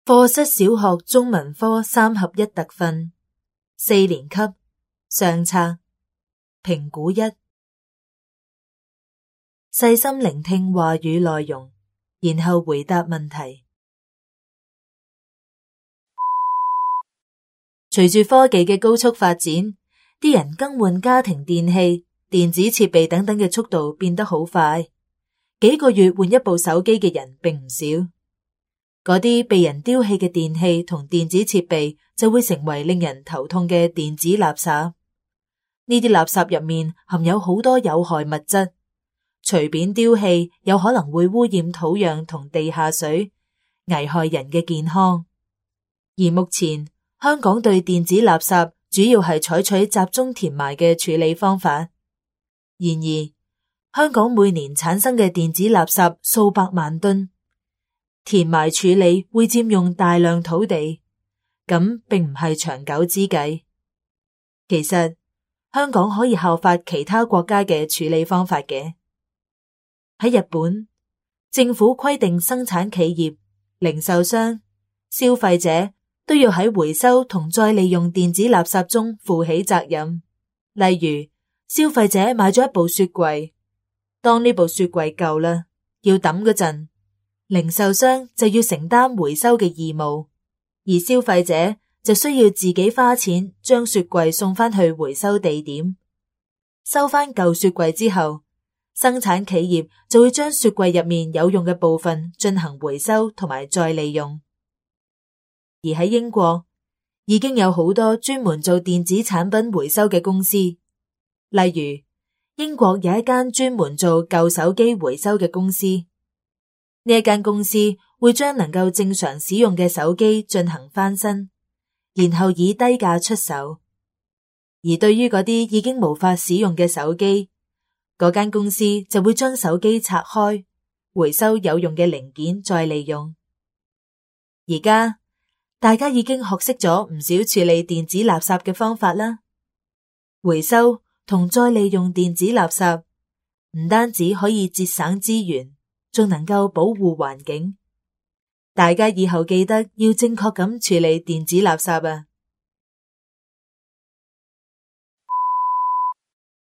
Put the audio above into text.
課室小學中文科3合1特訓，4年級上冊評估1，細心聆聽話語內容，然後回答問題。隨住科技嘅高速發展，啲人更換家庭電器、電子設備等等嘅速度變得好快，幾個月換一部手機嘅人並唔少。嗰啲被人丟棄嘅電器同電子設備就會成為令人頭痛嘅電子垃圾。呢啲垃圾入面含有好多有害物質，隨便丟棄有可能會污染土壤同地下水，危害人嘅健康。而目前香港對電子垃圾主要係採取集中填埋嘅處理方法。然而，香港每年產生嘅電子垃圾數百萬噸，填埋處理會佔用大量土地，咁並唔係長久之計。其實，香港可以效法其他國家嘅處理方法嘅。喺日本，政府規定生產企業、零售商、消費者都要喺回收同再利用電子垃圾中負起責任。例如，消費者買咗一部雪櫃，當呢部雪櫃舊啦，要抌嗰陣，零售商就要承擔回收嘅義務，而消費者就需要自己花錢將雪櫃送返去回收地點。收返舊雪櫃之後，生產企業就會將雪櫃入面有用嘅部分進行回收同埋再利用。而喺英國，已經有好多專門做電子產品回收嘅公司，例如英國有一間專門做舊手機回收嘅公司。呢一間公司會將能夠正常使用嘅手機進行翻新，然後以低價出售。而對於嗰啲已經無法使用嘅手機，嗰間公司就會將手機拆開，回收有用嘅零件再利用。而家大家已經學識咗唔少處理電子垃圾嘅方法啦。回收同再利用電子垃圾，唔單止可以節省資源，仲能夠保護環境。大家以後記得要正確咁處理電子垃圾啊！